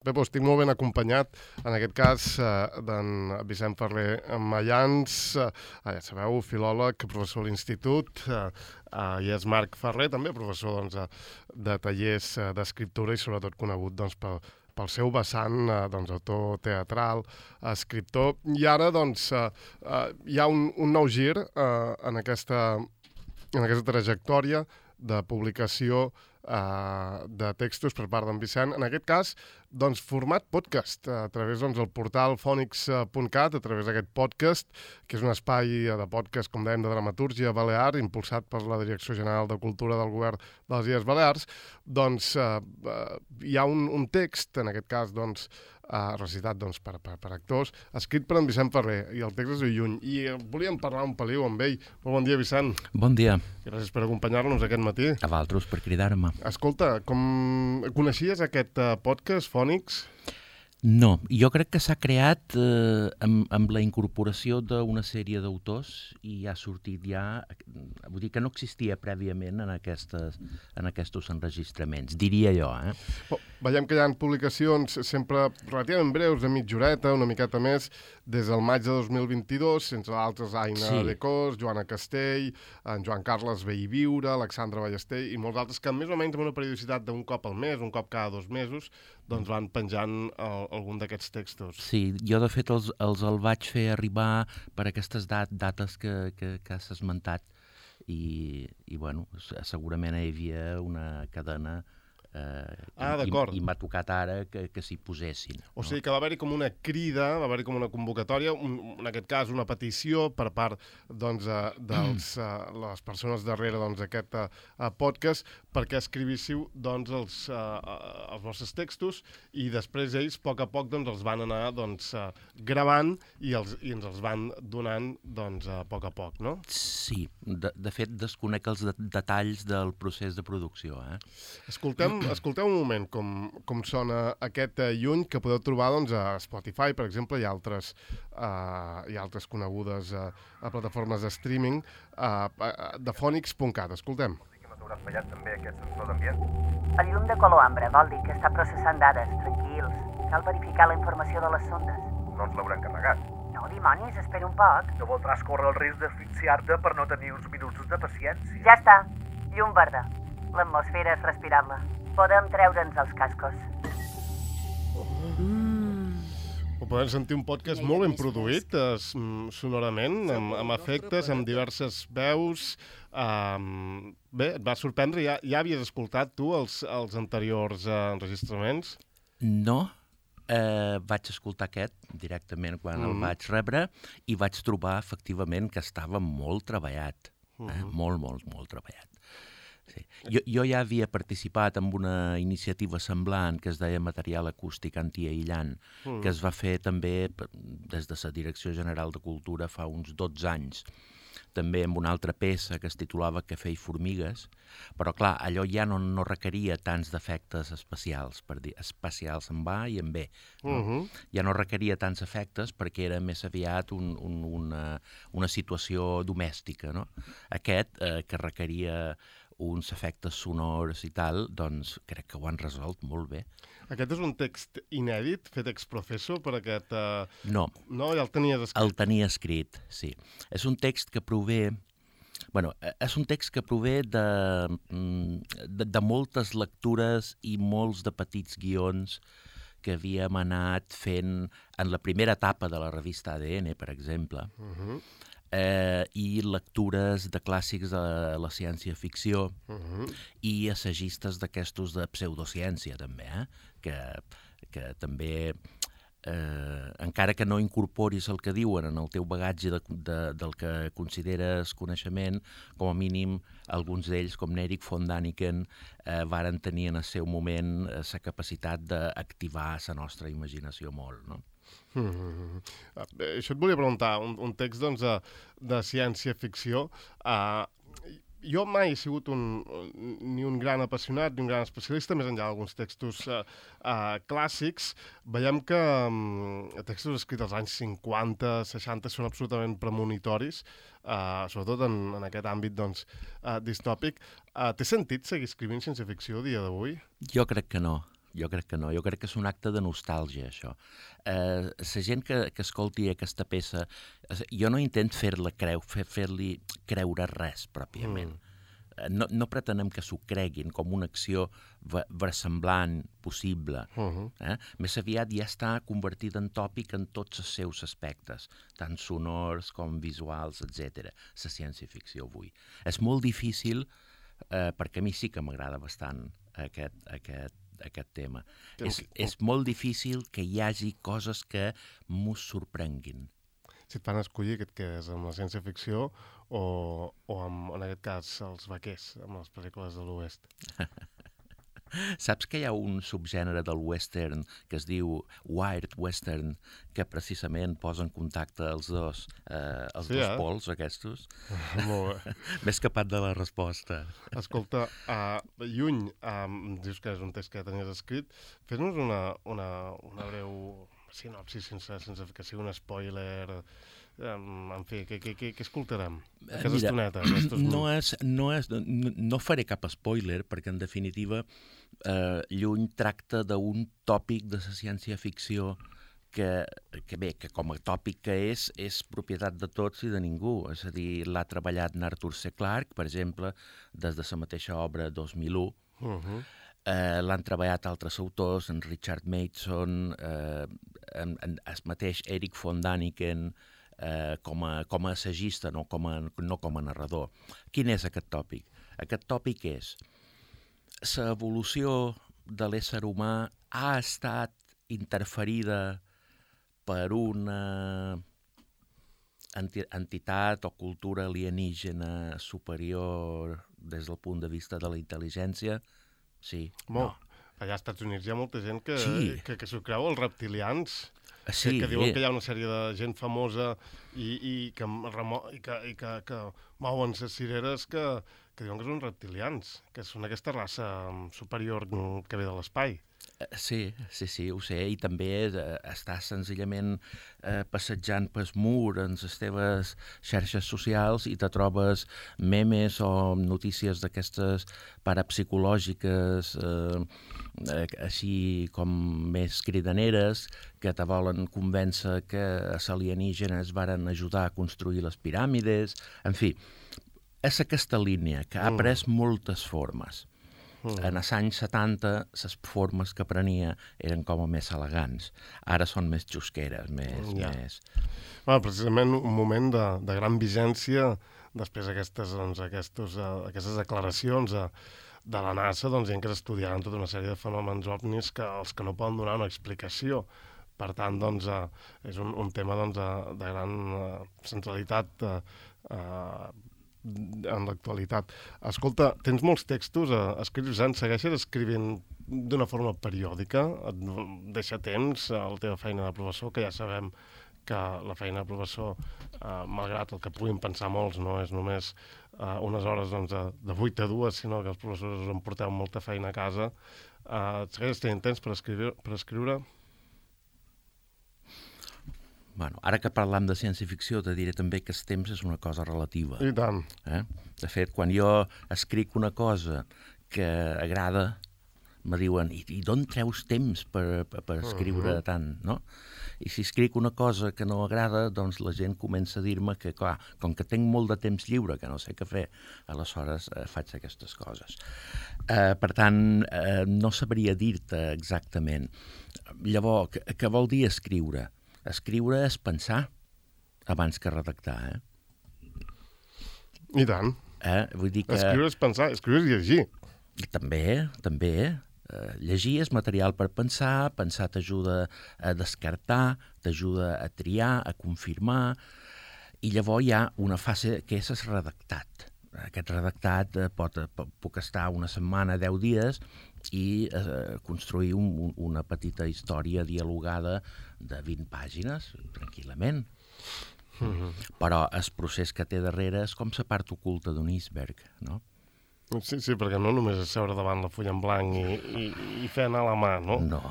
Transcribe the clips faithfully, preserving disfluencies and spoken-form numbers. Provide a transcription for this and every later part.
Bé, doncs estic molt ben acompanyat, en aquest cas, eh, d'en Vicent Ferrer Mayans, eh, ja sabeu, filòleg, professor a l'Institut, eh, eh, i és Marc Ferrer, també professor doncs, de tallers eh, d'escriptura i sobretot conegut doncs, pel, pel seu vessant, eh, doncs, autor teatral, escriptor. I ara doncs, eh, eh, hi ha un, un nou gir eh, en, aquesta, en aquesta trajectòria de publicació Uh, de textos per part d'en Vicent, en aquest cas doncs, format podcast, a través doncs, del portal phonics punt cat, a través d'aquest podcast, que és un espai de podcast, com dèiem, de dramatúrgia balear, impulsat per la Direcció General de Cultura del Govern de les Illes Balears. Doncs uh, uh, hi ha un, un text, en aquest cas doncs, uh, recitat doncs, per, per, per actors, escrit per en Vicent Ferrer, i el text és de lluny, i uh, volíem parlar un peliu amb ell. Molt bon dia, Vicent. Bon dia. Gràcies per acompanyar-nos aquest matí. A vosaltres per cridar-me. Escolta, com coneixies aquest uh, podcast, Phonics? No, jo crec que s'ha creat eh, amb, amb la incorporació d'una sèrie d'autors i ha sortit ja, vull dir que no existia prèviament en, aquestes, en aquests enregistraments, diria jo. Eh? Oh, veiem que hi ha publicacions sempre relativament breus, de mitja horeta, una miqueta més, des del maig de dos mil vint-i-dos, sense altres, Aina Sí. de Cos, Joana Castell, en Joan Carles Ve i Viure, Alexandra Ballester i molts altres que més o menys amb una periodicitat d'un cop al mes, un cop cada dos mesos, doncs van penjant el, algun d'aquests textos. Sí, jo de fet els, els el vaig fer arribar per aquestes dat, dates que, que, que has esmentat i, i bueno, segurament hi havia una cadena eh, Ah, i, d'acord. i, i m'ha tocat ara que, que s'hi posessin. O sigui que va haver-hi com una crida, va haver-hi com una convocatòria, un, en aquest cas una petició per part doncs, uh, de les persones darrere doncs, d'aquest uh, podcast perquè escrivíssiu doncs, els, uh, uh, els vostres textos i després ells, a poc a poc, doncs, els van anar doncs, uh, gravant i, els, i ens els van donant doncs, a poc a poc, no? Sí, de, de fet desconec els de, detalls del procés de producció. Eh? Escoltem, escolteu un moment com, com sona aquest uh, lluny que podeu trobar doncs, a Spotify, per exemple, i altres, uh, i altres conegudes uh, a plataformes de streaming uh, de phonics punt cat. Escoltem. Hauràs fallat també aquest sensor d'ambient. El llum de color ambre vol dir que està processant dades, tranquils. Cal verificar la informació de les sondes. No ens l'hauran carregat. No, dimonis, espera un poc. No voldràs córrer el risc d'asfixiar-te per no tenir uns minuts de paciència. Ja està, llum verda. L'atmosfera és respirable. Podem treure'ns els cascos. Ho podem sentir un podcast molt ben produït, eh, sonorament, amb, amb efectes, amb diverses veus. Um, bé, et va sorprendre? Ja, ja havies escoltat tu els, els anteriors uh, enregistraments? No, eh, vaig escoltar aquest directament quan mm. el vaig rebre i vaig trobar efectivament que estava molt treballat, eh? mm. molt, molt, molt treballat. Sí. Jo, jo ja havia participat en una iniciativa semblant que es deia Material Acústic Antiaïllant, mm. que es va fer també des de la Direcció General de Cultura fa uns dotze anys, també amb una altra peça que es titulava Cafè i formigues, però clar, allò ja no, no requeria tants d'efectes especials, per dir, especials en A i en B. No? Uh -huh. Ja no requeria tants efectes perquè era més aviat un, un, una, una situació domèstica. No? Aquest, eh, que requeria uns efectes sonors i tal, doncs crec que ho han resolt molt bé. Aquest és un text inèdit, fet ex professo per aquest... Uh... No. No, ja el tenies escrit. El tenia escrit, sí. És un text que prové... Bueno, és un text que prové de, de, de moltes lectures i molts de petits guions que havíem anat fent en la primera etapa de la revista A D N, per exemple, uh-huh. eh, i lectures de clàssics de la ciència-ficció uh-huh. i assagistes d'aquestos de pseudociència, també, eh? que, que també... Eh, encara que no incorporis el que diuen en el teu bagatge de, de, del que consideres coneixement, com a mínim alguns d'ells, com n'Eric von Daniken, eh, varen tenir en el seu moment la eh, capacitat d'activar la nostra imaginació molt, no? Mm-hmm. Uh, això et volia preguntar, un, un text doncs, de, de ciència-ficció. Uh, Jo mai he sigut un, ni un gran apassionat ni un gran especialista, més enllà d'alguns textos uh, uh, clàssics. Veiem que um, textos escrits als anys cinquanta, seixanta són absolutament premonitoris, uh, sobretot en, en aquest àmbit doncs, uh, distòpic. Uh, té sentit seguir escrivint ciència-ficció a dia d'avui? Jo crec que no. jo crec que no. Jo crec que és un acte de nostàlgia, això. Eh, la gent que, que escolti aquesta peça, jo no intent fer-la creu, fer, fer-li creure res, pròpiament. Mm. No, no pretenem que s'ho creguin com una acció versemblant, possible. Uh-huh. eh? Més aviat ja està convertida en tòpic en tots els seus aspectes, tant sonors com visuals, etcètera. La ciència-ficció avui. És molt difícil, eh, perquè a mi sí que m'agrada bastant aquest, aquest, aquest tema. És, és molt difícil que hi hagi coses que mos sorprenguin. Si et fan escollir, què et quedes amb la ciència-ficció o, o amb, en aquest cas, els vaquers, amb les pel·lícules de l'Oest? Saps que hi ha un subgènere del western que es diu Wired Western, que precisament posa en contacte els dos, eh, els sí, dos eh? pols aquests? Molt bé. M'he escapat de la resposta. Escolta, uh, Lluny, um, dius que és un text que ja tenies escrit, fes-nos una, una, una breu sinopsi sense, sense que sigui un spoiler. Um, en fi, què, què, què, què escoltarem? Aquesta Mira, estoneta. No, és, no, és, no, no faré cap spoiler, perquè en definitiva eh, Lluny tracta d'un tòpic de la ciència-ficció que, que bé, que com a tòpic que és, és propietat de tots i de ningú. És a dir, l'ha treballat Arthur C. Clarke, per exemple, des de la mateixa obra dos mil u. Uh-huh. Eh, l'han treballat altres autors, en Richard Mason, eh, en, en el mateix Eric von Daniken, eh, com, a, com a assagista, no com a, no com a narrador. Quin és aquest tòpic? Aquest tòpic és l'evolució de l'ésser humà ha estat interferida per una entitat o cultura alienígena superior des del punt de vista de la intel·ligència? Sí. Molt. No. Allà als Estats Units hi ha molta gent que, sí. que, que s'ho creu, els reptilians, sí, que, que diuen que hi ha una sèrie de gent famosa i, i, que, remo, i, que, i que, que mouen les cireres que, que diuen que són reptilians, que són aquesta raça superior que ve de l'espai. Sí, sí, sí, ho sé, i també eh, estàs senzillament eh, passejant pel mur en les teves xarxes socials i te trobes memes o notícies d'aquestes parapsicològiques, eh, eh, així com més cridaneres, que te volen convèncer que els alienígenes varen ajudar a construir les piràmides. En fi, és aquesta línia que ha pres moltes formes. Mm. En els anys setanta, les formes que prenia eren com a més elegants. Ara són més xusqueres, més... Ja. més... Bueno, precisament un moment de, de gran vigència després d'aquestes doncs, aquestos, uh, aquestes declaracions uh, de la NASA, doncs, gent que estudiaran tota una sèrie de fenòmens ovnis que els que no poden donar una explicació. Per tant, doncs, uh, és un, un tema doncs, de, de gran uh, centralitat uh, uh, en l'actualitat. Escolta, tens molts textos, eh, escrius anys, segueixes escrivint d'una forma periòdica, et deixa temps a la teva feina de professor, que ja sabem que la feina de professor, eh, malgrat el que puguin pensar molts, no és només eh, unes hores doncs, de, de vuit a dues, sinó que els professors us en porteu molta feina a casa. Eh, et segueixes tenint temps per escriure? Per escriure? Bueno, ara que parlam de ciència-ficció, te diré també que el temps és una cosa relativa. I tant. Eh? De fet, quan jo escric una cosa que agrada, me diuen, i, i d'on treus temps per, per, per escriure uh-huh. tant, no? I si escric una cosa que no agrada, doncs la gent comença a dir-me que, clar, com que tinc molt de temps lliure, que no sé què fer, aleshores eh, faig aquestes coses. Eh, per tant, eh, no sabria dir-te exactament. Llavors, què, què vol dir escriure? Escriure és pensar abans que redactar, eh? I tant. Eh? Vull dir que... Escriure és pensar, escriure és llegir. També, també. Eh, llegir és material per pensar, pensar t'ajuda a descartar, t'ajuda a triar, a confirmar, i llavors hi ha una fase que és el redactat. Aquest redactat eh, pot, pot, puc estar una setmana, deu dies, i eh, construir un, una petita història dialogada de vint pàgines, tranquil·lament. Mm-hmm. Però el procés que té darrere és com la part oculta d'un iceberg, no? Sí, sí, perquè no només és seure davant la fulla en blanc i, i, i fer anar la mà, no? No.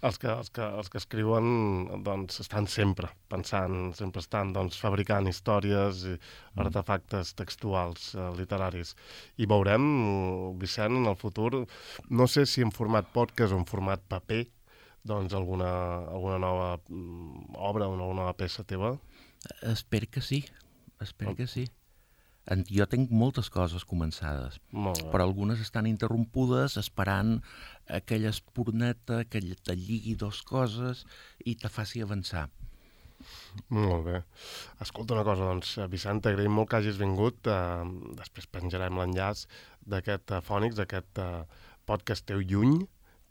els que, els que, els que escriuen doncs, estan sempre pensant, sempre estan doncs, fabricant històries i artefactes textuals, eh, literaris. I veurem, Vicent, en el futur, no sé si en format podcast o en format paper, doncs alguna, alguna nova mm, obra, una nova peça teva. Espero que sí, espero que sí. En- Jo tinc moltes coses començades, Molt bé. però algunes estan interrompudes esperant aquella esporneta que ll- te lligui dos coses i te faci avançar. Molt bé. Escolta una cosa, doncs, Vicent, t'agraïm molt que hagis vingut. Eh, després penjarem l'enllaç d'aquest uh, Fònix, d'aquest uh, podcast teu Lluny,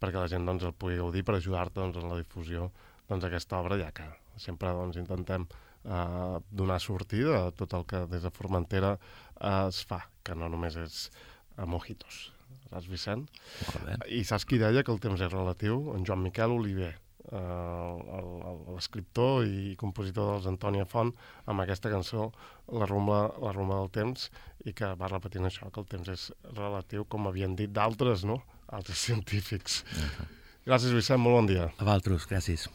perquè la gent doncs, el pugui gaudir per ajudar-te doncs, en la difusió doncs, d'aquesta obra, ja que sempre doncs, intentem eh, donar sortida a tot el que des de Formentera eh, es fa, que no només és a mojitos. Saps, Vicent? Molt bé. I saps qui deia que el temps és relatiu? En Joan Miquel Oliver, eh, el- el- l'escriptor i compositor dels Antònia Font, amb aquesta cançó, La rumba, la rumba del temps, i que va repetint això, que el temps és relatiu, com havien dit d'altres, no? Altres científics. Gràcies, Vicent, molt bon dia. A vosaltres, gràcies.